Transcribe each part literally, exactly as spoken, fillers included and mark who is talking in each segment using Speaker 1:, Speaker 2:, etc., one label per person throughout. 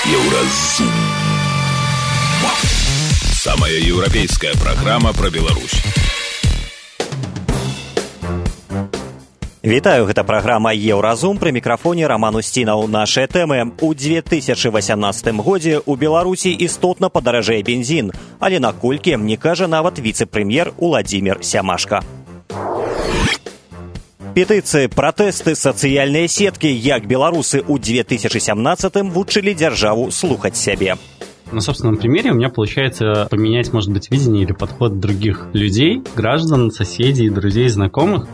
Speaker 1: Еўразум. Самая европейская программа про Беларусь.
Speaker 2: Вітаю, гэта праграма «Еўразум», пры мікрафоне Роман Устінаў. Нашыя тэмы. У две тысячы васямнаццатым годзе ў Беларусі істотна падаражэе бензін, але наколькі, не кажа нават віцэ-прэм'ер Уладзімір Сямашка. Петыцыі, пратэсты, сацыяльныя сеткі, як беларусы ў две тысячи семнадцатым вучылі дзяржаву слухаць сябе.
Speaker 3: На собственном примере у меня получается поменять, может быть, видение или подход других людей, граждан, соседей, друзей, знакомых.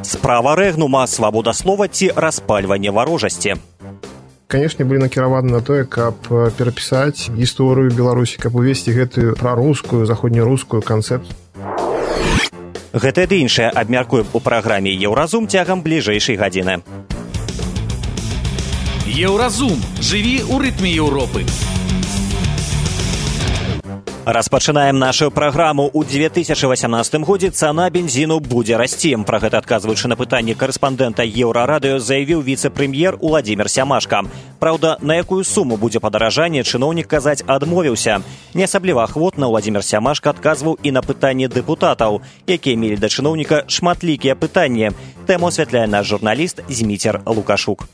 Speaker 2: Справа рэгнума, свабода слова ці распальванне варожасці.
Speaker 4: Канешне, былі накіраваны на тое, каб перапісаць гісторыю Беларусі, каб увесці гэтую прарускую, заходнерускую канцэпцыю.
Speaker 2: Гэта ды іншае абмяркуем у праграме «Еўразум» цягам бліжэйшай гадзіны.
Speaker 1: Еўразум. Жыві ў рытме Еўропы.
Speaker 2: Распачынаем нашу праграму. У две тысячи восемнадцатым годзе цана бензіну будзе расці. Пра гэта адказваючы на пытанне карэспандэнта Еўрарадыё заявіў віцэ-прэм'ер Уладзімір Сямашка. Праўда, на якую суму будзе падаражанне, чыноўнік казаць адмовіўся. Не асабліва ахвотна Уладзімір Сямашка адказваў і на пытанні дэпутатаў, якія мелі да чыноўніка шматлікія пытанні. Тэму асвятляе наш журналіст Зміцер Лукашук.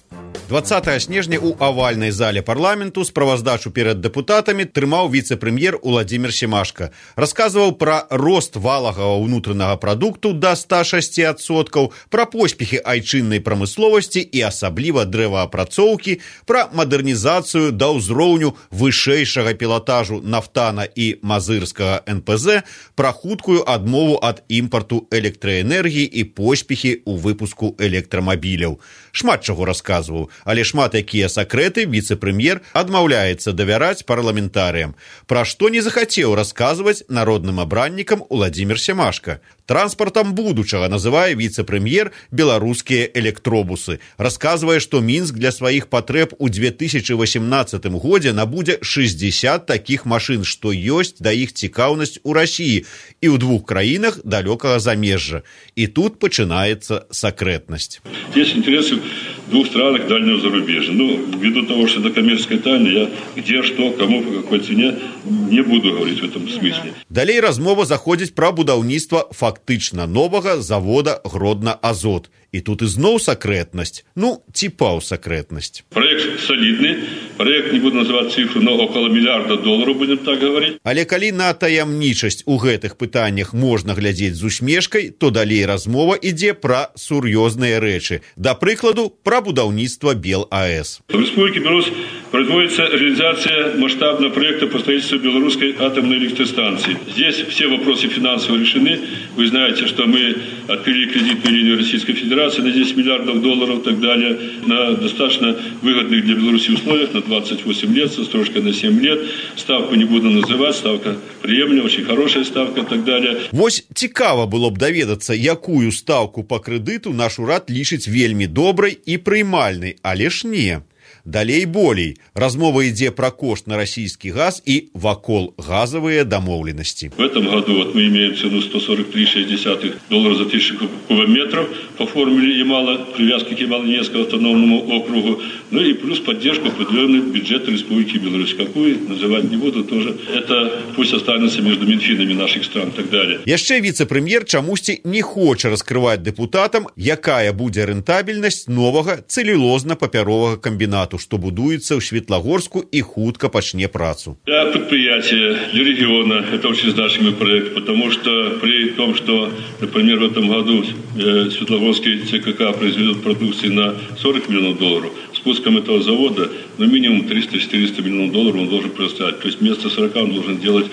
Speaker 5: двадцатага снежня ў авальнай зале парламенту справаздачу перад дэпутатамі трымаў віцэ-прэм'ер Уладзімір Сямашка. Расказваў пра рост валавага ўнутранага прадукту да ста шасці адсоткаў, пра поспехі айчыннай прамысловасці і асабліва дрэваапрацоўкі, пра мадэрнізацыю да ўзроўню вышэйшага пілатажу нафтана і мазырскага эн пэ зэ, пра хуткую адмову ад імпарту электраэнергіі і поспехі ў выпуску электрамабіляў. Шмат чаго расказваў, але шмат якія сакрэты віцэ-прэм'ер адмаўляецца давяраць парламентарыям. Пра што не захацеў расказваць народным абраннікам Уладзімір Сямашка. Транспартам будучага называе віцэ-прэм'ер беларускія электробусы. Расказвае, што Мінск для сваіх патрэб у две тысячи восемнадцатым годзе набудзе шэсцьдзесят такіх машын, што ёсць да іх цікаўнасць у Расіі і ў двух краінах далёкага замежжа. І тут пачынаецца сакрэтнасць.
Speaker 6: Есть интересы в двух странах дальнего зарубежья. Ну, ввиду того, что это коммерческая тайна, я где, что, кому, по какой цене не буду говорить в этом смысле.
Speaker 5: Далей размова заходзіць пра будаўніцтва фактычна новага завода Гродна-Азот. І тут ізноў сакрэтнасць. Ну, ці паўсакрэтнасць.
Speaker 6: Проект солидный. Проект, не буду называть цифру, но около миллиарда долларов, будем так говорить.
Speaker 5: Але калі на таямнічасць у гэтых пытаннях можна глядзець з усмешкай, то далей размова ідзе пра сур'ёзныя рэчы. Да прыкладу, пра будаўніцтва БелАЭС.
Speaker 6: В Республике Беларусь производится реализация масштабного проекта по строительству белорусской атомной электростанции. Здесь все вопросы финансово решены. Вы знаете, что мы открыли кредитную линию Российской Федерации на десять миллиардов долларов и так далее, на достаточно выгодных для Беларуси условиях, на двадцать восемь лет, со строчкой на семь лет. Ставку не буду называть, ставка приемлемая, очень хорошая ставка и так далее.
Speaker 5: Вось цікава было б даведацца, якую ставку по крэдыту наш урад лічыць вельмі добрай і прыймальнай, але ж не. Далей болей. Размова ідзе пра кошт на расійскі газ і вакол газавыя дамоўленасці.
Speaker 6: В этом году вот мы имеем цену сто сорок три целых шесть десятых доллара за тысячу кубометров по формуле Ямала, привязки к Ямало-Ненецкому автономному округу. Ну и плюс поддержку определенной бюджета Республики Беларусь. Какую, называть не буду тоже. Это пусть останется между Минфинами наших стран и так далее.
Speaker 5: Яшчэ віцэ-прэм'ер чамусьці не хоча раскрываць дэпутатам, якая будзе рэнтабельнасць новага цэлюлозна-папяровага комбінату, што будуецца ў Светлагорску і хутка пачне працу.
Speaker 6: Для предприятия, для региона это очень значимый проект, потому что при том, что, например, в этом году э, Светлогорский ЦКК произведет продукции на сорок миллионов долларов, спуском этого завода, ну, минимум триста-четыреста миллионов долларов он должен предоставить. То есть вместо сорока он должен делать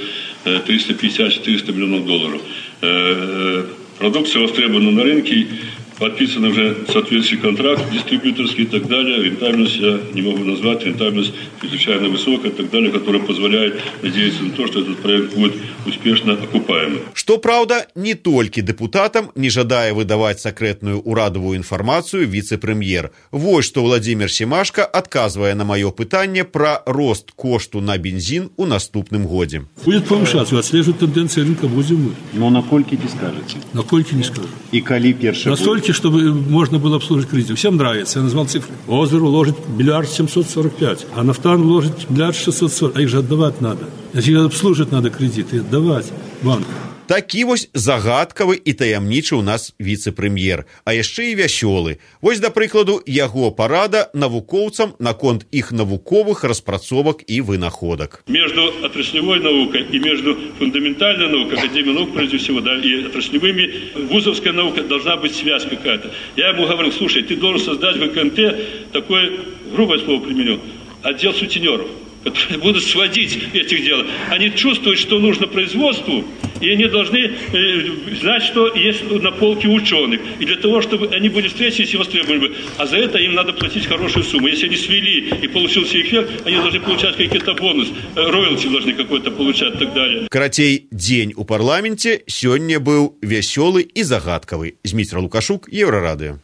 Speaker 6: э, триста пятьдесят-четыреста миллионов долларов. Э, продукция востребована на рынке, подписан уже соответствующий контракт, дистрибьюторский и так далее. Рентабельность я не могу назвать, рентабельность чрезвычайно высокая и так далее, которая позволяет надеяться на то, что этот проект будет успешно окупаемый.
Speaker 5: Што праўда, не толькі дэпутатам не жадае выдаваць сакрэтную урадавую інфармацыю віцэ-прэм'ер. Вось што Уладзімір Сямашка адказвае на маё пытанне пра рост кошту на бензін у наступным годзе.
Speaker 7: Будет повышаться, отслеживать тенденции рынка будем мы.
Speaker 8: Но на колькі не скажете?
Speaker 7: На колькі не скажу.
Speaker 8: И коли перший
Speaker 7: Настолько позвольте, чтобы можно было обслужить кредит. Всем нравится. Я назвал цифры. Озер уложит миллиард семьсот сорок пять, а Нафтан уложит миллиард шестьсот сорок. А их же отдавать надо. Значит, обслужить надо кредиты, отдавать банку.
Speaker 5: Такі вось загадкавы і таямнічы ў нас віцэ-прэм'ер, а яшчэ і вясёлы. Вось, да прыкладу, яго парада навукоўцам наконт іх навуковых распрацовак і вынаходак.
Speaker 6: Между отраслевой наукой и между фундаментальной наукой, академией наук, прежде всего, да, и отраслевыми, вузовская наука должна быть связь какая-то. Я ему говорил, слушай, ты должен создать в ВКНТ такое, грубое слово применю, отдел сутенеров, которые будут сводить этих дел. Они чувствуют, что нужно производству, и они должны э, знать, что есть на полке ученых. И для того, чтобы они были встретились и востребованы. А за это им надо платить хорошую сумму. Если они свели и получился эффект, они должны получать какие-то бонусы, роялти должны какой-то получать и так далее.
Speaker 5: Карацей, дзень у парламенце сёння быў вясёлы і загадкавы. Зміцер Лукашук, Еўрарадыё.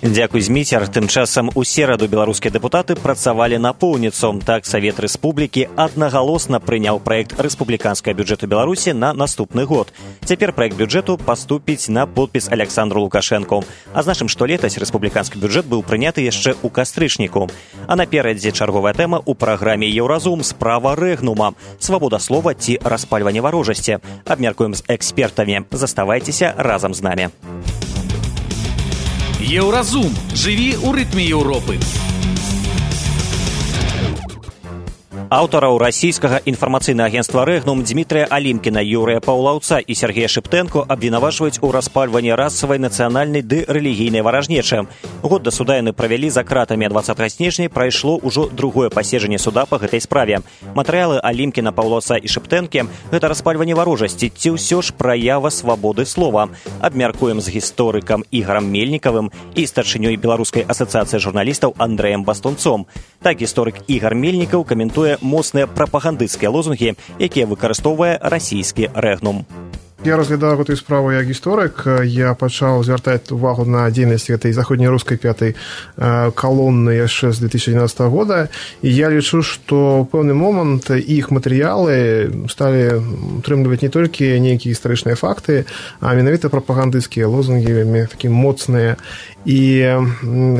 Speaker 2: Дзякуй, Зміцер. Тым часам у сераду беларускія дэпутаты працавалі напоўніцу. Так, Савет Рэспублікі аднагалосна прыняў праект рэспубліканскага бюджэту Беларусі на наступны год. Цяпер праект бюджэту паступіць на подпіс Александру Лукашэнку. Азначым, што летась рэспубліканскі бюджэт быў прыняты яшчэ ў кастрычніку. А наперадзе чарговая тэма ў праграме «Еўразум» справа рэгнума. Свабода слова ці распальванне варожасці. Абмяркуем з экспертамі. Заставайцеся разам з намі.
Speaker 1: Еўразум. Жыві ў рытме Еўропы.
Speaker 2: Аўтараў расійскага інфармацыйнага агенцтва «Рэгнум» Дмітрыя Алімкіна, Юрыя Паўлаўца і Сергея Шыптэнко абвінавачваюць у распальванні расавай, нацыянальнай ды рэлігійнай варажнечы. Год да суда яны правялі за кратамі, а дваццатага снежня прайшло ўжо другое паседжанне суда па гэтай справе. Матэрыялы Алімкіна, Паўлаўца і Шыптэнкі – гэта распальванне варожасці ці ўсё ж праява свабоды слова. Абмяркуем з гісторыкам Ігарам Мельнікавым і старшынёй Беларускай асацыяцыі журналістаў Андрэем Бастунцом. Так, гісторык Ігар Мельнікаў каментуе моцныя прапагандысцкія лозунгі, якія выкарыстоўвае расійскі «Рэгнум».
Speaker 4: Я разглядаў гэтую справу як гісторык. Я пачаў звяртаць увагу на дзейнасць гэтай заходнерускай пятай калоны яшчэ з две тысячи двенадцатого года, і я лічу, што ў пэўны момант іх матэрыялы сталі утрымліваць не толькі нейкія гістарычныя факты, а менавіта прапагандысцкія лозунгі, такі моцныя. І,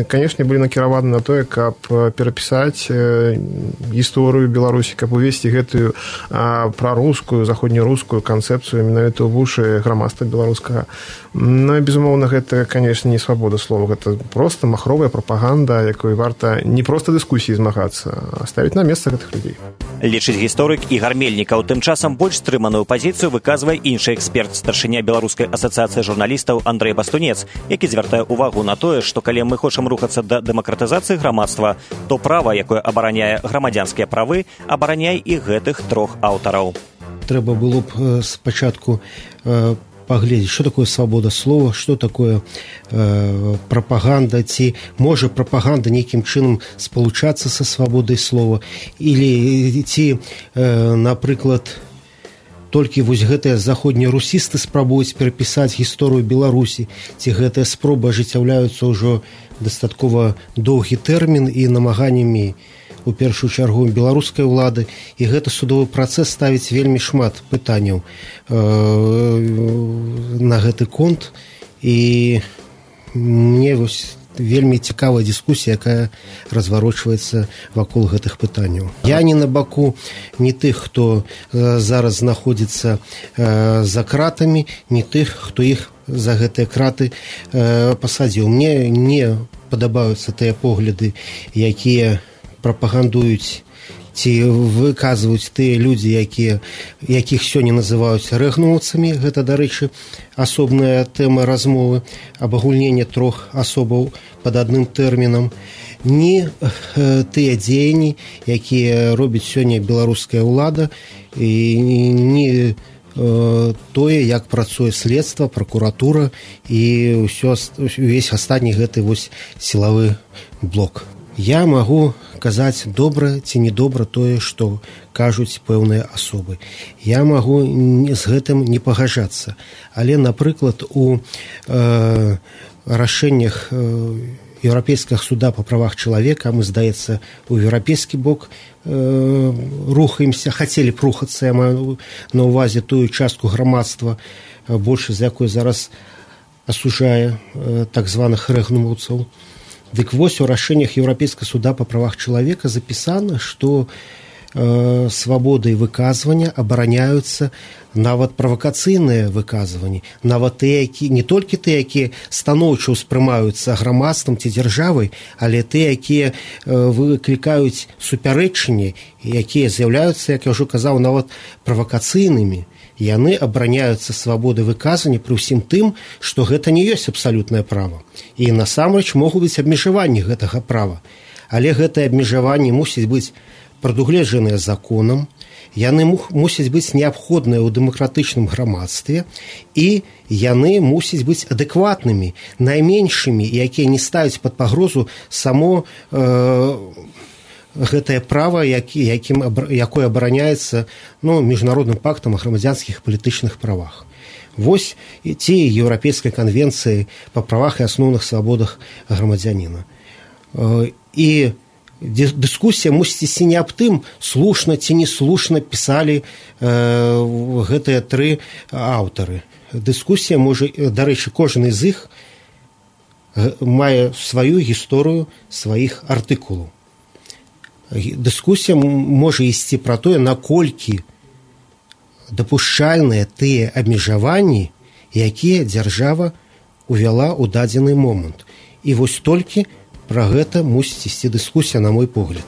Speaker 4: канешне, былі накіраваны на тое, каб перапісаць гісторыю Беларусі, каб увесці гэтую прарускую, заходнерускую канцэпцыю менавіта ў вушы грамадства беларускага. Ну, безумоўна, гэта, канешне, не свабода слова, гэта проста махровая прапаганда, якой варта не проста дыскусіі змагацца, а ставіць на месца гэтых людзей.
Speaker 2: Лічыць гісторык Ігар Мельнікаў. Тым часам больш стрыманую пазіцыю выказвае іншы эксперт, старшыня Беларускай асацыяцыі журналістаў Андрэй Бастунец, які звяртае увагу на тое, што калі мы хочам рухацца да дэмакратызацыі грамадства, то права, якое абараняе грамадзянскія правы, абараняй і гэтых трох аўтараў.
Speaker 8: Трэба было б спачатку э, паглядзець, што такое свабода слова, што такое э, прапаганда, ці можа прапаганда нейкім чынам спалучацца са свабодай слова, или ці, э, напрыклад, толькі вось гэтыя заходнія русісты спрабуюць перапісаць гісторыю Беларусі, ці гэтыя спробы ажыццяўляюцца ўжо дастаткова доўгі тэрмін і намаганнямі у першую чаргу беларускай улады, і гэты судовы працэс ставіць вельмі шмат пытанняў э, на гэты конт, і мне вось вельмі цікавая дыскусія, якая разварочваецца вакол гэтых пытанняў. Я не на баку не тых, хто э, зараз знаходзіцца э, за кратамі, не тых, хто іх за гэтыя краты э, пасадзіў. Мне не падабаюцца тыя погляды, якія прапагандуюць ці выказваюць тыя людзі, якія, якіх сёння называюць рэгнумаўцамі. Гэта, дарэчы, асобная тэма размовы, абагульнення трох асобаў пад адным тэрмінам. Ні э, тыя дзеянні, якія робіць сёння беларуская ўлада, і не э, тое, як працуе следства, пракуратура і ўсё, увесь астатні гэты вось сілавы блок. Я магу казаць добра ці недобра тое, што кажуць пэўныя асобы. Я магу з гэтым не пагаджацца. Але, напрыклад, у э, рашэннях э, Еўрапейскага суда па правах чалавека, мы, здаецца, у еўрапейскі бок э, рухаемся, хацелі б рухацца, я маю на ўвазе тую частку грамадства, большасць з якой зараз осужая э, так званых рэгнумаўцаў. Дык вось у рашэннях Еўрапейскага суда па правах чалавека запісана, што э, свабодай выказвання абараняюцца нават правакацыйныя выказванні, нават тыя, які, не толькі тыя, якія станоўча ўспрымаюцца грамадствам ці дзяржавай, але тыя, якія э, выклікаюць супярэчанні, якія з'яўляюцца, як я ўжо казаў, нават правакацыйнымі. Яны абараняюцца свабоды выказвання пры ўсім тым, што гэта не ёсць абсалютнае права. І насамрэч могуць быць абмежаванні гэтага права. Але гэтыя абмежаванні мусяць быць прадугледжаныя законам, яны мусяць быць неабходныя ў дэмакратычным грамадстве, і яны мусяць быць адэкватнымі, найменшымі, якія не ставяць пад пагрозу само э, гэтае права, які, якім, якое абараняецца ну, міжнародным пактам о грамадзянскіх палітычных правах. Вось ці Еўрапейскай канвенцыі па правах і асноўных свабодах грамадзяніна. І дыскусія мусіць ісці не аб тым, слушна ці неслушна пісалі э, гэтыя тры аўтары. Дыскусія можа, дарэчы, кожны з іх мае сваю гісторыю сваіх артыкулаў. Дыскусія можа ісці пра тое, наколькі дапушчальныя тыя абмежаванні, якія дзяржава увяла ў дадзены момант. І вось толькі пра гэта мусіць ісці дыскусія, на мой погляд.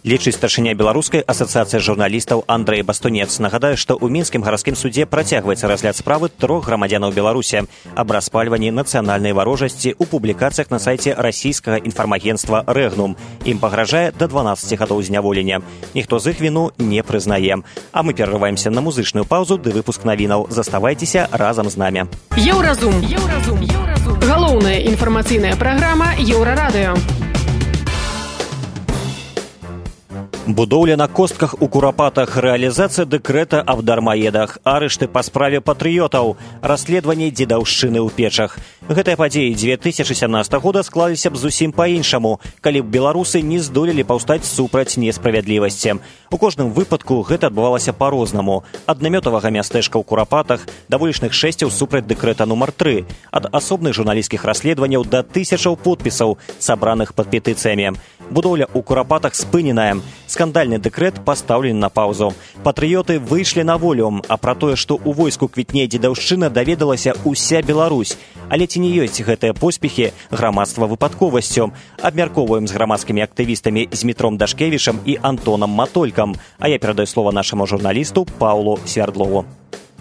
Speaker 2: Лічыць старшыня беларускай асацыяцыі журналістаў Андрэй Бастунец. Нагадаю, што ў мінскім гарадскім судзе працягваецца разгляд справы трох грамадзянаў Беларусі аб распальванні нацыянальнай варожасці ў публікацыях на сайце расійскага інфармагенцтва «Рэгнум». Ім пагражае да дванаццаці гадоў зняволення. Ніхто з іх віну не прызнае. А мы перарываемся на музычную паўзу ды выпуск навінаў. Заставайцеся разам з намі.
Speaker 9: Еўразум. Еўразум. Еўразум. Галоўная інфармацыйная праграма Еўрарадыё.
Speaker 2: Будоўля на костках у Курапатах, рэалізацыя дэкрэта аб дармаедах, арышты па справе патрыётаў, расследаванне дзедаўшчыны ў печах. Гэтыя падзеі дзве тысячы сямнадцатага года склаліся б зусім па-іншаму, калі б беларусы не здолелі паўстаць супраць несправядлівасці. У кожным выпадку гэта адбывалася па-рознаму. Ад намётавага мястэчка ў Курапатах да вулічных шэсцяў супраць дэкрэта нумар тры, ад асобных журналісцкіх расследаванняў да тысячаў подпісаў, сабраных пад петыцыямі. Будоўля ў Курапатах спыненая. Скандальны дэкрэт пастаўлены на паўзу. Патрыёты выйшлі на волю, а пра тое, што ў войску квітнее дзедаўшчына, даведалася ўся Беларусь. Але ці не ёсць гэтыя поспехі грамадства выпадковасцю? Абмяркоўваем з грамадскімі актывістамі Змітром Дашкевічам і Антонам Матолькам. А я перадаю слова нашаму журналісту Паўлу Свярдлову.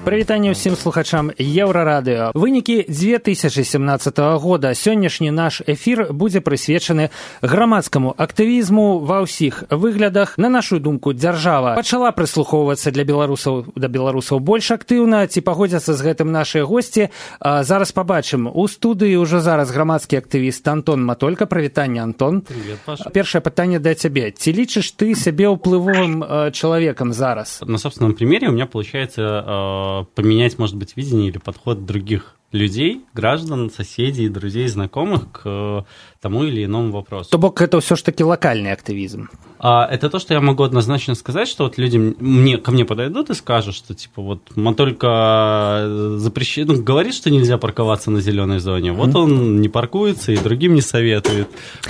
Speaker 10: Прывітанне ўсім слухачам Еўрарадыё. Вынікі дзве тысячы сямнаццатага года. Сённяшні наш эфір будзе прысвечаны грамадскаму актывізму ва ўсіх выглядах. На нашу думку, дзяржава пачала прыслухоўвацца для беларусаў да беларусаў больш актыўна. Ці пагодзяцца з гэтым нашыя госці? А, зараз пабачым. У студыі ўжо зараз грамадскі актывіст Антон Матолька. Прывітанне, Антон.
Speaker 3: Привет, Паша.
Speaker 10: Першае пытанне да цябе. Ці лічыш ты сябе ўплывовым э, чалавекам зараз?
Speaker 3: На собственном примере у меня получается э, поменять, может быть, видение или подход других людей, граждан, соседей, друзей, знакомых к тому или иному вопросу.
Speaker 10: То бок это все ж таки локальный активизм.
Speaker 3: А, это то, что я могу однозначно сказать, что вот люди мне, ко мне подойдут и скажут, что типа вот Матолька запрещает, ну, говорит, что нельзя парковаться на зеленой зоне, вот mm-hmm. он не паркуется и другим не советует.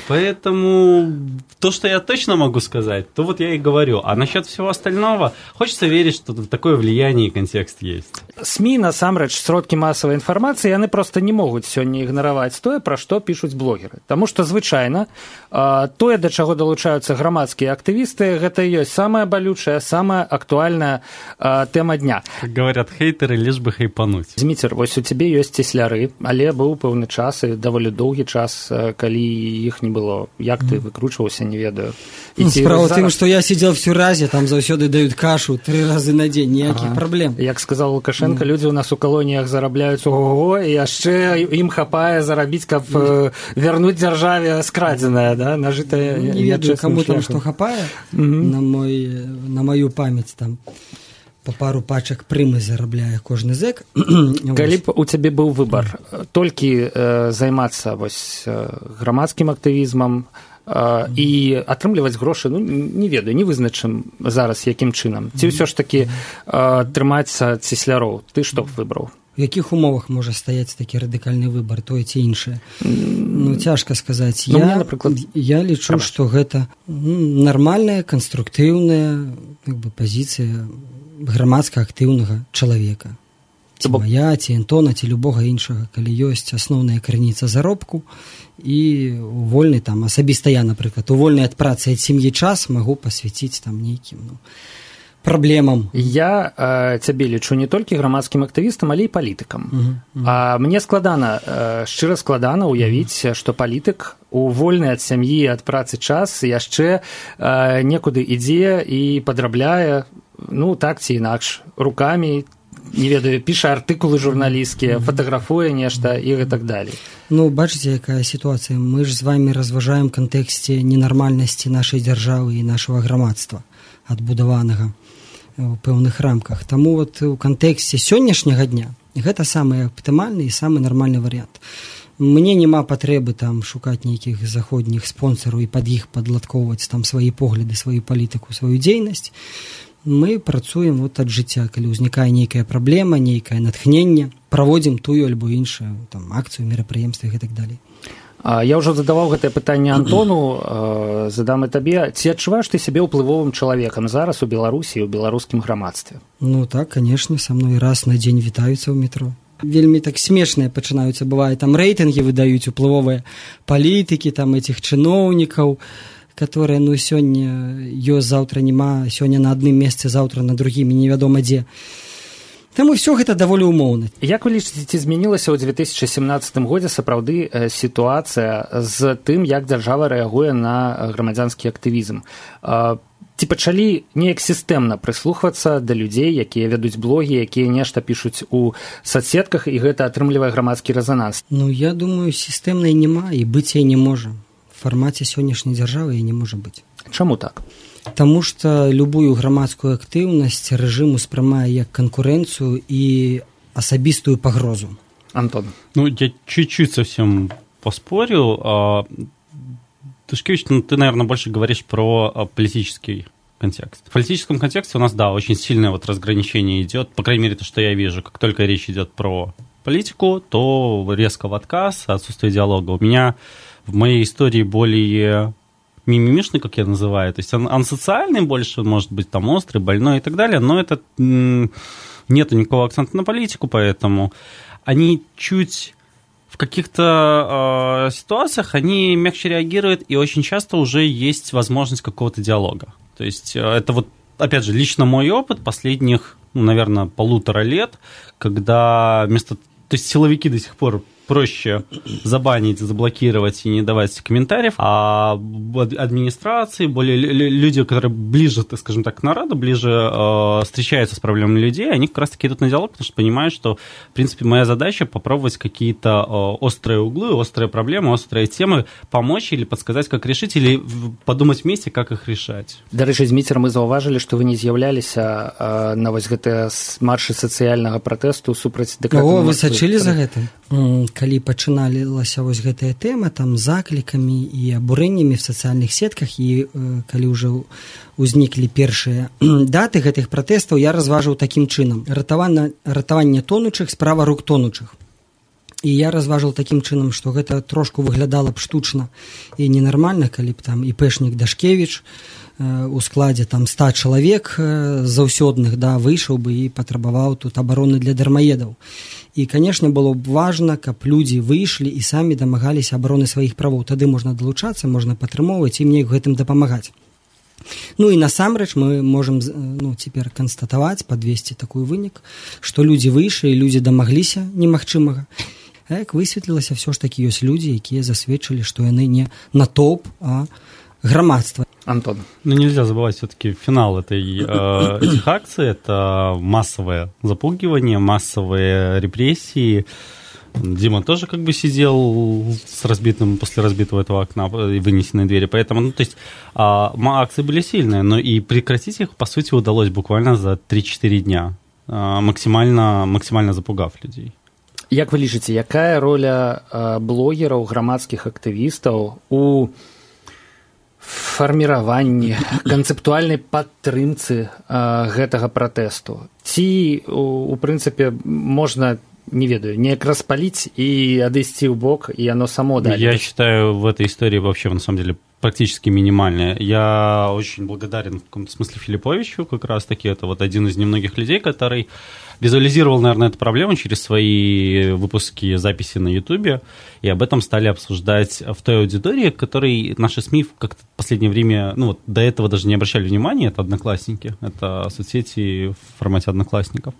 Speaker 3: Поэтому то, что я точно могу сказать, то вот я и говорю. А насчет всего остального, хочется верить, что такое влияние и контекст есть.
Speaker 10: СМИ, насамрэч, сродкі масавай інфармацыі, яны проста не могуць сёння ігнараваць тое, пра што пішуць блогеры. Таму што звычайна тое, да чаго далучаюцца грамадскія актывісты, гэта і ёсць самая балючая, самая актуальная тэма дня.
Speaker 3: Как говорят хейтеры, лишь бы хайпануть.
Speaker 10: Зміцер, вось у цябе ёсць цесляры, але быў пэўны час і даволі доўгі час, калі іх не было. Як ты выкручваўся, не ведаю.
Speaker 11: Справа ў тым, што я сидзел в Сюразе, там заўсёды даюць кашу тры разы на дзень, ніякіх ага. праблем.
Speaker 10: Як сказал Лукашенко, mm. людзі ў нас у калоніях зарабляюць ого-го, і яшчэ ім хапае зарабіць, каб mm. вярнуць дзяржаве скрадзенае, да, нажытае
Speaker 11: не ведаю, каму там што хапае, mm-hmm. на, мой, на маю памяць там по пару пачак прымы зарабляе кожны зэк.
Speaker 10: Калі б у цябе быў выбар толькі э, займацца вось грамадскім актывізмам, Uh, і атрымліваць грошы, ну, не ведаю, не вызначым зараз якім чынам. Ці ўсё ж такі uh, трымацца цесляроў? Ты што б выбраў?
Speaker 11: У якіх умовах можа стаяць такі радыкальны выбар, тое ці іншае? Ну, цяжка сказаць.
Speaker 10: Ну,
Speaker 11: я,
Speaker 10: мне, напрыклад...
Speaker 11: я лічу, што гэта нармальная, канструктыўная як бы, пазіцыя грамадска актыўнага чалавека. Ці Бо... мая, ці Антона, ці любога іншага, калі ёсць асноўная крыніца заробку і вольны там, асабіста я, напрыклад, у вольны ад працы ад сям'і час магу пасвяціць там нейкім, ну, праблемам.
Speaker 10: Я э, цябе лічу не толькі грамадскім актывістам, але і палітыкам. Uh-huh, uh-huh. А мне складана, э, шчыра складана уявіць, uh-huh. што палітык у вольны ад сям'і, ад працы час яшчэ э, некуды ідзе і падрабляе, ну, так ці інакш, рукамі, не ведаю, піша артыкулы журналісцкія, uh-huh. фатаграфуе нешта і так далей.
Speaker 11: Ну, бачыце, якая сітуацыя. Мы ж з вамі разважаем кантэксце ненармальнасці нашай дзяржавы і нашага грамадства адбудаванага у пэўных рамках. Таму вот у кантэксце сённяшняга дня гэта самы аптымальны і самы нармальны варыянт. Мне няма патрэбы там шукаць нейкіх заходніх спонсараў і пад іх падладкоўваць там свае погляды, сваю палітыку, сваю дзейнасць. Мы працуем вот ад жыцця, калі ўзнікае нейкая праблема, нейкае натхненне, праводзім тую альбо іншую там акцыю, мерапрыемствы і так далей.
Speaker 10: Я ўжо задаваў гэтае пытанне Антону, задам і табе. Ці адчуваеш ты сябе ўплывовым чалавекам зараз у Беларусі і ў беларускім грамадстве?
Speaker 11: Ну так, канешне, са мной раз на дзень вітаюцца ў метро. Вельмі так смешныя пачынаюцца, бывае, там рэйтынгі выдаюць уплывовыя палітыкі, там этих чыноўнікаў, которые, ну, сёння ёсць, заўтра няма, сёння на адным месцы, заўтра на другім, невядома дзе. Таму ўсё гэта даволі ўмоўна.
Speaker 10: Як вы лічыце, ці змянілася ў две тысячы сямнаццатым годзе сапраўды сітуацыя з тым, як дзяржава рэагуе на грамадзянскі актывізм? Ці пачалі неяк сістэмна прыслухвацца да людзей, якія вядуць блогі, якія нешта пішуць у сацсетках, і гэта атрымлівае грамадскі рэзананс?
Speaker 11: Ну, я думаю, сістэмнай няма і быць яе не можа. В фармаце сённяшняй дзяржавы яе не можа быць.
Speaker 10: Чаму так?
Speaker 11: Таму што любую грамадскую актыўнасць рэжым успрымае як канкурэнцыю і асабістую пагрозу.
Speaker 10: Антон.
Speaker 3: Ну, я чуть-чуть совсем поспорю. Тышкевич, ну, ты, наверное, больше говоришь про политический контекст. В политическом контексте у нас, да, очень сильное вот разграничение идет, по крайней мере, то, что я вижу. Как только речь идет про политику, то резко в отказ, отсутствие диалога. У меня в моей истории более... мимимишный, как я называю, то есть он ансоциальный больше, может быть, там острый, больной и так далее, но это м- нету никакого акцента на политику, поэтому они чуть в каких-то э, ситуациях, они мягче реагируют, и очень часто уже есть возможность какого-то диалога. То есть э, это вот, опять же, лично мой опыт последних, ну, наверное, полутора лет, когда вместо... То есть силовики до сих пор проще забанить, заблокировать и не давать комментариев, а администрации, более люди, которые ближе, так скажем так, к народу, ближе э, встречаются с проблемами людей, они как раз-таки идут на диалог, потому что понимают, что, в принципе, моя задача попробовать какие-то э, острые углы, острые проблемы, острые темы помочь или подсказать, как решить, или подумать вместе, как их решать.
Speaker 10: Дарэчы, з Міцерам мы заўважылі, што вы не з'яўляліся э, на вось гэтыя маршы сацыяльнага пратэсту супраць дэкрэта.
Speaker 11: О, вы сачылі за гэтым? Калі пачыналася вось гэтая тэма там заклікамі і абурэннямі в сацыяльных сетках і э, калі ўжо узніклі першыя даты гэтых пратэстаў, я разважыў такім чынам: ратаванне, ратаванне тонучых, справа рук тонучых. І я разважыў такім чынам, што гэта трошку выглядала б штучна і ненармальна, калі б там іпэшнік Дашкевіч э, у складзе там ста чалавек э, заўсёдных, да, выйшаў бы і патрабаваў тут абароны для дармаедаў. І, канешне, было б важна, каб людзі выйшлі і самі дамагаліся абароны сваіх правоў. Тады можна далучацца, можна падтрымоўваць і мне гэтым дапамагаць. Ну і насамрэч мы можам, ну, цяпер канстатаваць, падвесці такой вынік, што людзі выйшлі, людзі дамагліся немагчымага. А як высветлілася, все ж такі ёсць людзі, якія засведчылі, што яны не натоўп, а грамадства.
Speaker 10: Антон.
Speaker 3: Ну, нельзя забывать все-таки финал этой, э, этих акций. Это массовое запугивание, массовые репрессии. Дима тоже как бы сидел с разбитым, после разбитого этого окна и вынесенной двери. Поэтому, ну, то есть, э, акции были сильные, но и прекратить их, по сути, удалось буквально за три-четыре дня, э, максимально, максимально запугав людей.
Speaker 10: Як вы лічыце, якая роля э, блогераў, грамадскіх актывістаў у фарміраванні, канцэптуальнай падтрымцы э, гэтага пратэсту? Ці, у, у прынцыпе, можна не ведаю, неяк распаліць і адысці ў бок, і оно само далее?
Speaker 3: Я считаю, в этой истории вообще, на самом деле, практически минимальная. Я очень благодарен в каком-то смысле Филипповичу, как раз-таки это вот один из немногих людей, который визуализировал, наверное, эту проблему через свои выпуски, записи на Ютубе, и об этом стали обсуждать в той аудитории, которой наши СМИ как-то в последнее время, ну вот до этого даже не обращали внимания, это Одноклассники, это соцсети в формате Одноклассников.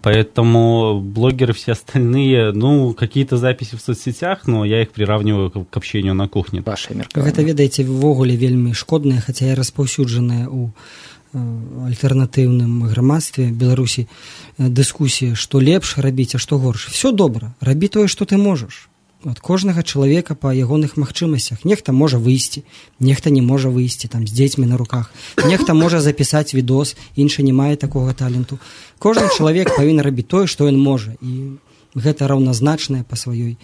Speaker 3: Поэтому блогеры все остальные, ну, какие-то записи в соцсетях, но я их приравниваю к общению на кухне.
Speaker 10: Ваше меркаванне.
Speaker 11: Гэта, ведаеце, ввогуле вельмі шкоднае, хаця і распаўсюджанае ў альтэрнатыўным грамадстве Беларусі дыскусія, што лепш рабіць, а што горш. Все добра, рабі тое, што ты можаш. Ад кожнага чалавека па ягоных магчымасцях. Нехта можа выйсці, нехта не можа выйсці там з дзецьмі на руках, нехта можа запісаць відос, іншы не мае такога таленту. Кожны чалавек павінен рабіць тое, што ён можа, і гэта раўназначнае па сваёй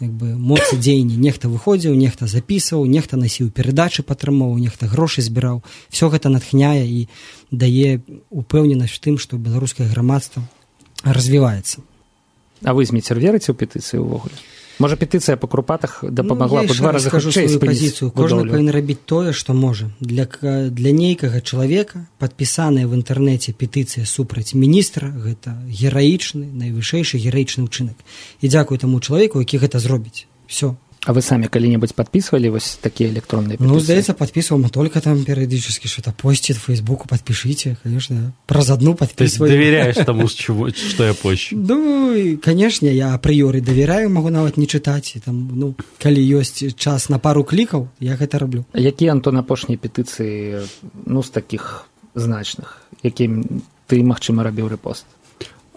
Speaker 11: як бы моцы дзеяння. Нехта выходзіў, нехта запісваў, нехта насіў перадачы, падтрымоўваў, нехта грошы збіраў. Все гэта натхняе і дае упэўненасць у тым, што беларускае грамадства развіваецца.
Speaker 10: А вы, Зміцер, верыце ў петыцыі ўвогуле? Можа, петыцыя па Крупатах дапамагла б у два разы хутчэй спыніць будоўлю?
Speaker 11: Кожны павінен рабіць тое, што можа. Для, для нейкага чалавека падпісаная в інтэрнэце петыцыя супраць міністра, гэта гераічны, найвышэйшы гераічны ўчынак. І дзякуй таму чалавеку, які гэта зробіць. Все.
Speaker 10: А вы самі калі-небудзь падпісвалі вось такія электронныя петыцыі?
Speaker 11: Ну, здаецца, падпісваў, мы только там перыядычна что-то посціць в Фейсбуку, подпишите, конечно, праз одну подписываю.
Speaker 3: То есть доверяешь тому, что я пощу?
Speaker 11: Ну, конечно, я апрыёры давяраю, могу нават не чытаць, там, ну, калі ёсць час на пару клікаў, я гэта раблю.
Speaker 10: А якія, Антон, апошнія петыцыі, ну, з такіх значных, якім ты, магчыма, рабіў рэпост?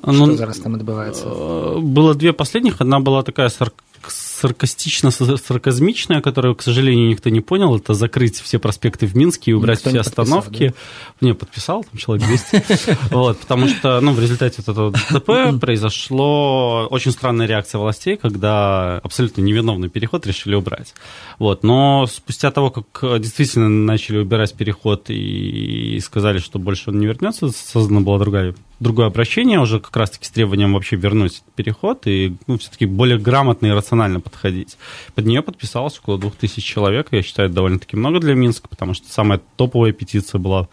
Speaker 10: Что ну, зараз там адбываецца?
Speaker 3: Было две последних, одна была такая сарк сарказмичная, которую, к сожалению, никто не понял, это закрыть все проспекты в Минске и убрать никто все остановки. Да? Не, подписал, там человек двести. Вот, потому что, ну, в результате этого ДТП произошло очень странная реакция властей, когда абсолютно невиновный переход решили убрать. Вот, но спустя того, как действительно начали убирать переход и сказали, что больше он не вернется, создана была другая другое обращение уже как раз-таки с требованием вообще вернуть переход и, ну, все-таки более грамотно и рационально подходить. Под нее подписалось около двух тысяч человек, я считаю, это довольно-таки много для Минска, потому что самая топовая петиция была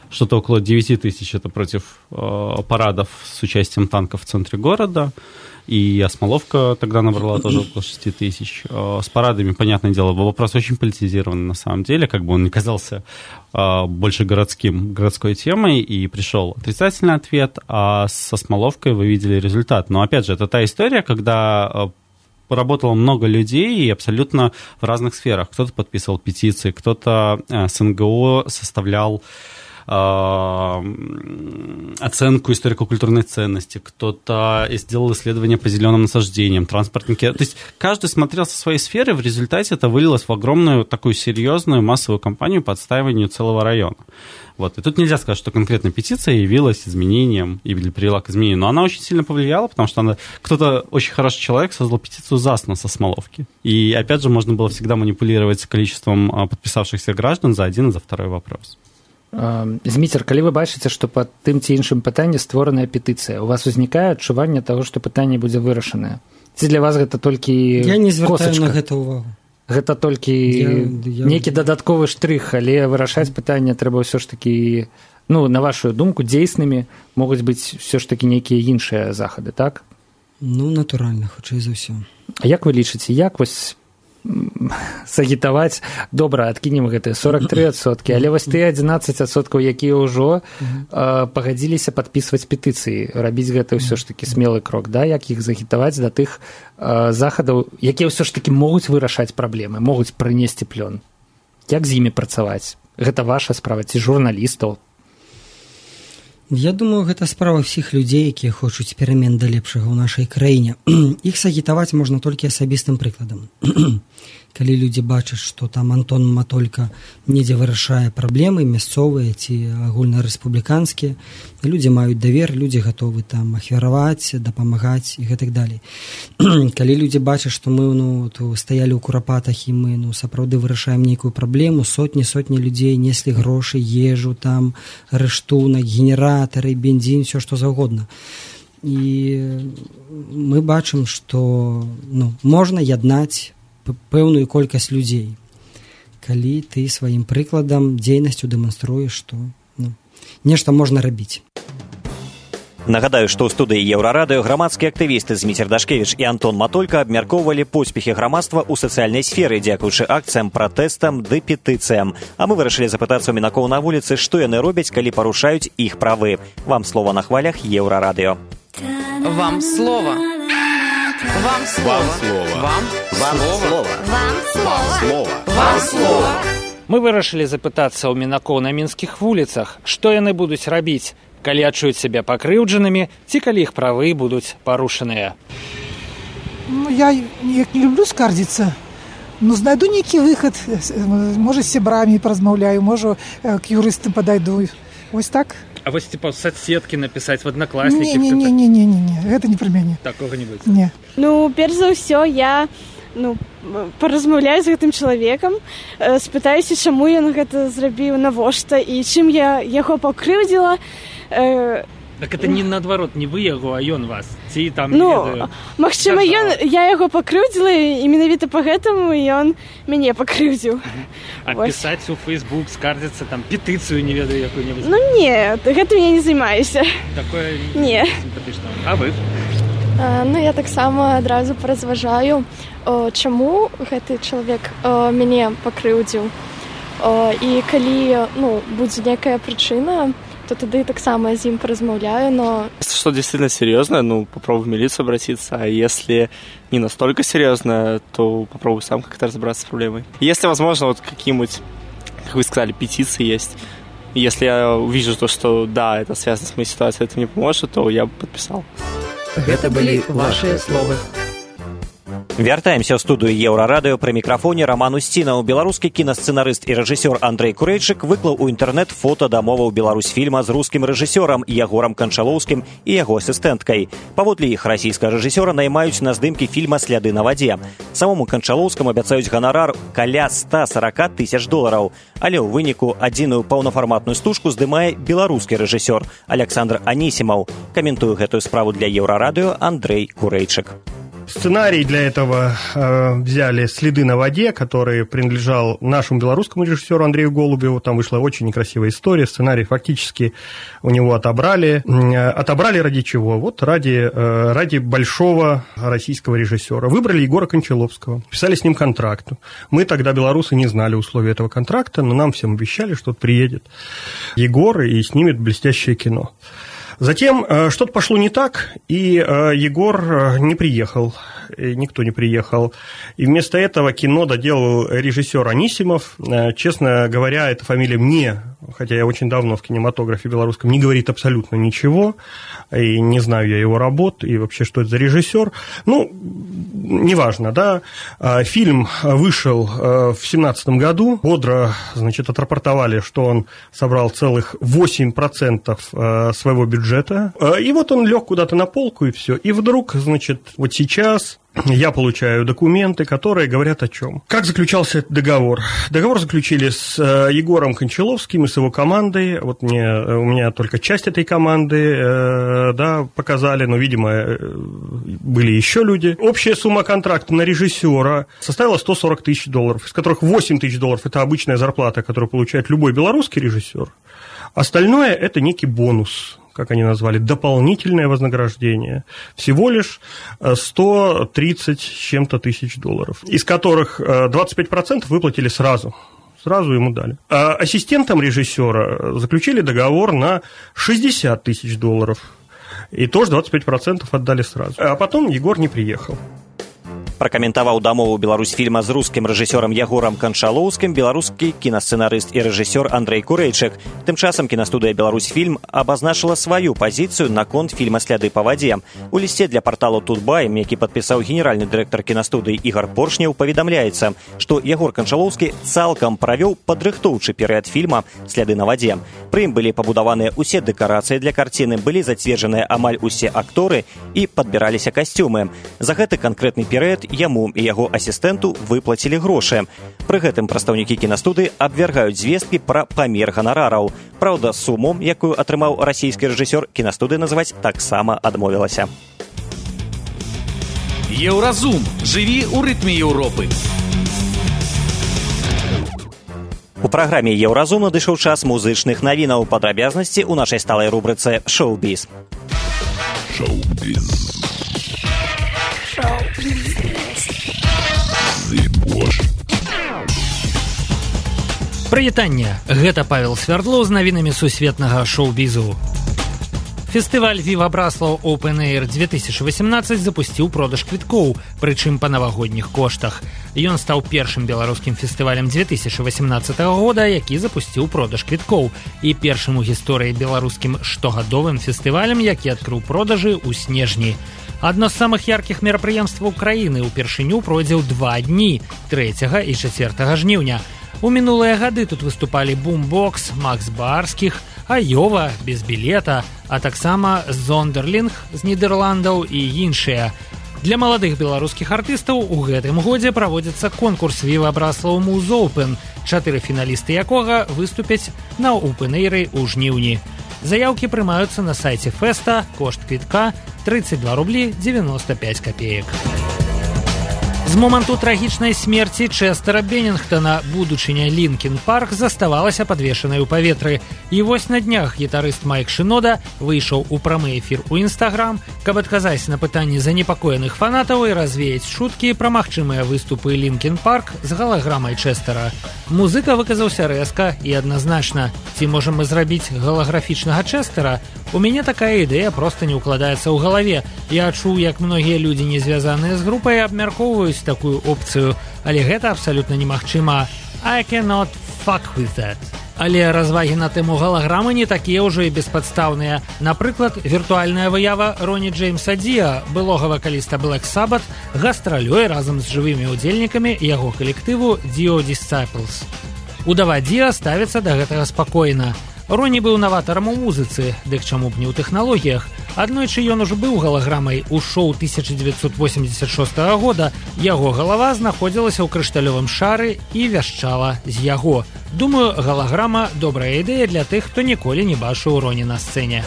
Speaker 3: что-то около девяти тысяч, это против э, парадов с участием танков в центре города, и Осмоловка тогда набрала тоже около шести тысяч. Э, с парадами, понятное дело, был вопрос очень политизированный на самом деле, как бы он не казался э, больше городским, городской темой, и пришел отрицательный ответ, а с Осмоловкой вы видели результат. Но опять же, это та история, когда э, работало много людей и абсолютно в разных сферах. Кто-то подписывал петиции, кто-то э, с эн гэ о составлял оценку историко-культурной ценности, кто-то сделал исследования по зеленым насаждениям, транспортники. То есть каждый смотрел со своей сферы, в результате это вылилось в огромную такую серьезную массовую кампанию по отстаиванию целого района. Вот. И тут нельзя сказать, что конкретно петиция явилась изменением или привела к изменению, но она очень сильно повлияла, потому что она, кто-то очень хороший человек создал петицию за СНО со Смоловки. И опять же можно было всегда манипулировать количеством подписавшихся граждан за один и за второй вопрос.
Speaker 10: Зміцер, калі вы бачыце, што па тым ці іншым пытанні створаная петыцыя, у вас узнікае адчуванне таго, што пытанне будзе вырашанае? Ці для вас гэта толькі косачка?
Speaker 11: Я не звяртаю на гэта ўвагу.
Speaker 10: Гэта толькі я, я... нейкі дадатковы штрых, але вырашаць пытанне трэба ўсё ж такі, ну, на вашу думку, дзейснымі могуць быць ўсё ж такі нейкія іншыя захады, так?
Speaker 11: Ну, натуральна, хутчэй за ўсё.
Speaker 10: А як вы лічыце, як вось сагітаваць, добра, адкінем гэтыя сорок тры адсоткі, але вось тыя адзінаццаць адсоткаў, якія ўжо э, пагадзіліся падпісваць петыцыі, рабіць гэта ўсё ж такі смелы крок, да, як іх загітаваць да тых э, захадаў, якія ўсё ж такі могуць вырашаць праблемы, могуць прынесці плён. Як з імі працаваць? Гэта ваша справа, ці журналістаў?
Speaker 11: Я думаю, гэта справа ўсіх людзей, якія хочуць перамен да лепшага ў нашай краіне. Іх сагітаваць можна толькі асабістым прыкладам. Калі людзі бачаць, што там Антон Матолька недзе вырашае праблемы мясцовыя ці агульнарэспубліканскія, людзі маюць давер, людзі гатовы там ахвяраваць, дапамагаць і гэтак далей. Калі людзі бачаць, што мы, ну, стаялі ў курапатах і мы, ну, сапраўды вырашаем нейкую праблему, сотні-сотні людзей неслі грошы, ежу, там, рэштунак, генератары, бензін, все што заўгодна. і мы бачым, што ну, можна яднаць пэўную колькасць людзей, калі ты сваім прыкладам, дзейнасцю дэманструеш, што ну, нешта можна рабіць.
Speaker 2: Нагадаю, што ў студыі Еўрарадыё грамадскія актывісты Зміцер Дашкевіч і Антон Матолька абмяркоўвалі поспехі грамадства ў сацыяльнай сферы, дзякуючы акцыям, пратэстам ды петыцыям. А мы вырашылі запытацца ў мінакоў на вуліцы, што яны робяць, калі парушаюць іх правы. Вам слова на хвалях Еўрарадыё.
Speaker 1: Вам слово. Вам слово. Вам слово.
Speaker 9: Вам слово.
Speaker 1: Вам слово.
Speaker 10: Мы вырашылі запытацца ў мінакоў на мінскіх вуліцах, што яны будуць рабіць, калі адчуюць сябе пакрыўджанымі, ці калі іх правы будуць парушаныя.
Speaker 12: Ну, я не люблю скардзіцца, но знайду нейкі выхад, можа, з сябрамі паразмаўляю, можа, к юрыстам падайду. Вось так.
Speaker 10: А вось типа соцсеткі напісаць в аднакласнікі?
Speaker 12: Не, не, не, не, не, не, гэта не пра мяне.
Speaker 10: Такога не будзе?
Speaker 12: Не.
Speaker 13: Ну, перш за ўсё, я ну, паразмаўляю з гэтым чалавекам, спытаюся, чаму ён гэта зрабіў, навошта, і чым я яго пакрыўдзіла.
Speaker 10: Так это не наадварот, не вы яго, а ён вас? Ці там,
Speaker 13: ну, магчыма, ён, я яго пакрыўдзіла, і менавіта па гэтаму ён мяне пакрыўдзіў.
Speaker 10: А пісаць у Facebook, скардзіцца, там, петыцыю, не ведаю, якую-небудзь?
Speaker 13: Ну, не, гэтым я не займаюся.
Speaker 10: Такое
Speaker 13: не
Speaker 10: сімпатычна. А вы?
Speaker 14: А, ну, я таксама адразу паразважаю, о, чаму гэты чалавек о, мяне пакрыўдзіў. О, і калі, ну, будзе некая прычына, то тогда и так само с ним поразмовляю, но...
Speaker 15: Если что действительно серьезное, ну, попробуй в милицию обратиться, а если не настолько серьезное, то попробуй сам как-то разобраться с проблемой. Если, возможно, вот какие-нибудь, как вы сказали, петиции есть, если я увижу то, что да, это связано с моей ситуацией, это мне поможет, то я бы подписал.
Speaker 1: Это были ваши слова.
Speaker 2: Вяртаемся ў студыю Еўрарадыё, пры мікрафоне Роман Устінаў. Беларускі кінасцэнарыст і рэжысёр Андрэй Курэйчык выклаў у інтэрнэт фота дамоваў Беларусьфільма з рускім рэжысёрам Ягорам Канчалоўскім і яго асістэнткай. Паводле іх, расійскага рэжысёра наймаюць на здымкі фільма «Сляды на вадзе». Самому Канчалоўскаму абяцаюць ганарар каля ста сорока тысяч долараў. Але ў выніку адзіную паўнафарматную стужку здымае беларускі рэжысёр Александр Анісімаў. Каментую гэтую справу для Еўрарадыё Андрэй Курэйчык.
Speaker 16: Сценарий для этого э, взяли «Следы на воде», который принадлежал нашему белорусскому режиссеру Андрею Голубеву. Там вышла очень некрасивая история. Сценарий фактически у него отобрали. Э, отобрали ради чего? Вот ради, э, ради большого российского режиссера. Выбрали Егора Кончаловского. Писали с ним контракт. Мы тогда, белорусы, не знали условий этого контракта, но нам всем обещали, что вот приедет Егор и снимет блестящее кино. Затем э, что-то пошло не так, и э, Егор э, не приехал, и никто не приехал. И вместо этого кино доделал режиссер Анисимов. Э, честно говоря, эта фамилия мне, хотя я очень давно в кинематографе белорусском, не говорит абсолютно ничего, и не знаю я его работ, и вообще, что это за режиссер. Ну, неважно, да. Э, фильм вышел э, в семнадцатом году, бодро, значит, отрапортовали, что он собрал целых восемь процентов э, своего бюджета. И вот он лег куда-то на полку, и все. И вдруг, значит, вот сейчас я получаю документы, которые говорят о чем. Как заключался этот договор? Договор заключили с Егором Кончаловским и с его командой. Вот мне, у меня только часть этой команды э, да, показали, но, видимо, были еще люди. Общая сумма контракта на режиссера составила сто сорок тысяч долларов, из которых восемь тысяч долларов – это обычная зарплата, которую получает любой белорусский режиссер. Остальное – это некий бонус, как они назвали, дополнительное вознаграждение, всего лишь сто тридцать с чем-то тысяч долларов, из которых двадцать пять процентов выплатили сразу, сразу ему дали. А ассистентам режиссера заключили договор на шестьдесят тысяч долларов, и тоже двадцать пять процентов отдали сразу. А потом Егор не приехал.
Speaker 2: Пракаментаваў дамову Беларусьфільма з рускім рэжысёрам Ягорам Канчалоўскім беларускі кінасцэнарыст і рэжысёр Андрэй Курэйчык. Тым часам кінастудыя Беларусьфільм абазначыла сваю пазіцыю наконт фільма «Сляды па вадзе». У лісце для парталу «Тутбайм», які падпісаў генеральны дырэктар кінастудыі Ігар Поршнеў, паведамляецца, што Ягор Канчалоўскі цалкам правёў падрыхтоўчы перыяд фільма «Сляды на вадзе». Пры ім былі пабудаваныя ўсе дэкарацыі для карціны, былі зацверджаныя амаль усе акторы і падбіраліся касцюмы. За гэты канкрэтны перыяд нават яму і яго асістэнту выплацілі грошы. Пры гэтым прадстаўнікі кінастудыі абвяргаюць звесткі пра памер ганарараў. Праўда, суму, якую атрымаў расійскі рэжысёр, кінастудыя называць таксама адмовілася.
Speaker 17: Еўразум. Жыві ў рытме Еўропы.
Speaker 2: У праграме «Еўразум» надышоў час музычных навінаў. Падрабязнасці ў нашай сталай рубрыцы «Шоу-біз».
Speaker 18: Шоу-біз.
Speaker 10: Прывітанне! Гэта Павел Свярдлоў з навінамі сусветнага шоу-бізу. Фестываль «Віва Браслаў Open Air две тысячи восемнадцать» запусціў продаж квіткоў, прычым па навагодніх коштах. Ён стаў першым беларускім фестывалем две тысячи восемнадцатого года, які запусціў продаж квіткоў, і першым у гісторыі беларускім штогадовым фестывалем, які адкрыў продажы ў снежні. Адно з самых яркіх мерапрыемстваў краіны ўпершыню пройдзе ў два дні, трэцяга і чацвёртага жніўня. У мінулыя гады тут выступалі Бумбокс, Макс Барскіх, Айова, без білета, а таксама Зондерлінг з Нідерландаў і іншыя. Для маладых беларускіх артыстаў у гэтым годзе праводзіцца конкурс «Віва Браслаў Муз Оупен», чатыры фіналісты якога выступяць на Open-эйры ў жніўні. Заяўкі прымаюцца на сайце фэста, кошт квітка тридцать два рубли девяносто пять копеек. З моманту трагічнай смерці Чэстера Беннінгтона будучыня Лінкін Парк заставалася падвешанай у паветры. І вось на днях гітарыст Майк Шынода выйшаў у прамы эфір у Інстаграм, каб адказаць на пытанні занепакоеных фанатаў і развеяць чуткі пра магчымыя выступы Лінкін Парк з галаграмай Чэстера. Музыка выказаўся рэзка і адназначна. Ці можам мы зрабіць галаграфічнага Чэстера? У мяне такая ідэя проста не ўкладаецца ў галаве. Я чуў, як многія людзі, не звязаныя з групай, абмяркоўваюць такую опцыю, але гэта абсалютна немагчыма. I cannot fuck with that. Але развагі на тэму галаграмы не такія ўжо і беспадстаўныя. Напрыклад, віртуальная выява Роні Джеймса Діа, былога вакаліста Black Sabbath, гастралюе разам з жывымі ўдзельнікамі яго калектыву Dio Disciples. Удава Діа ставіцца да гэтага спакойна. Роні быў наватарам у музыцы, дык чаму б не ў тэхналогіях. Аднойчы ён ужо быў галаграмай у шоу тысяча девятьсот восемьдесят шестого года. Яго галава знаходзілася ў крышталёвым шары і вяшчала з яго. Думаю, галаграма – добрая ідэя для тых, хто ніколі не бачыў Роні на сцэне.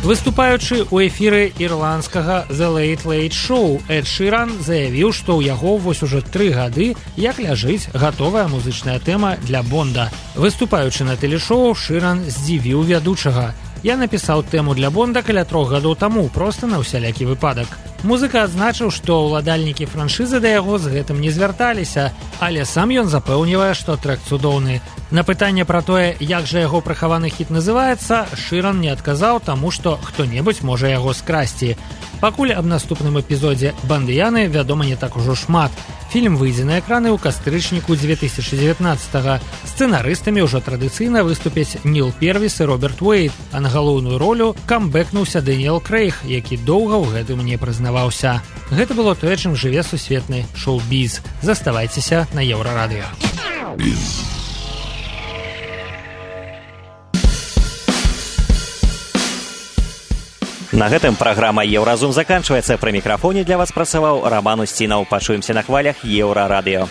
Speaker 10: Выступаючы ў эфіры ірландскага The Late Late Show, Эд Шыран заявіў, што ў яго вось ужо тры гады як ляжыць гатовая музычная тэма для Бонда. Выступаючы на тэлешоу, Шыран здзівіў вядучага. Я напісаў тэму для Бонда каля трох гадоў таму, проста на ўсялякі выпадак. Музыка адзначыў, што ўладальнікі франшызы да яго з гэтым не звярталіся, але сам ён запэўнівае, што трэк цудоўны. На пытанне пра тое, як жа яго прыхаваны хіт называецца, Шыран не адказаў, таму што хто-небудзь можа яго скрасці. Пакуль аб наступным эпізодзе «Бандыяны» вядома не так ужо шмат. Фільм выйдзе на экраны ў кастрычніку две тысячи девятнадцатого. Сцэнарыстамі ўжо традыцыйна выступяць Ніл Первіс і Роберт Уэйд, а на галоўную ролю камбэкнуўся Дэніэл Крэйг, які доўга ў гэтым не прызнаваўся. Гэта было тое, чым жыве сусветны шоу-біз. Заставайцеся на Еўрарадыё.
Speaker 2: На гэтым праграма «Еўразум» заканчваецца. Пры мікрафоне для вас працаваў Раман Усцінаў. Пачуемся на хвалях Еўрарадыё.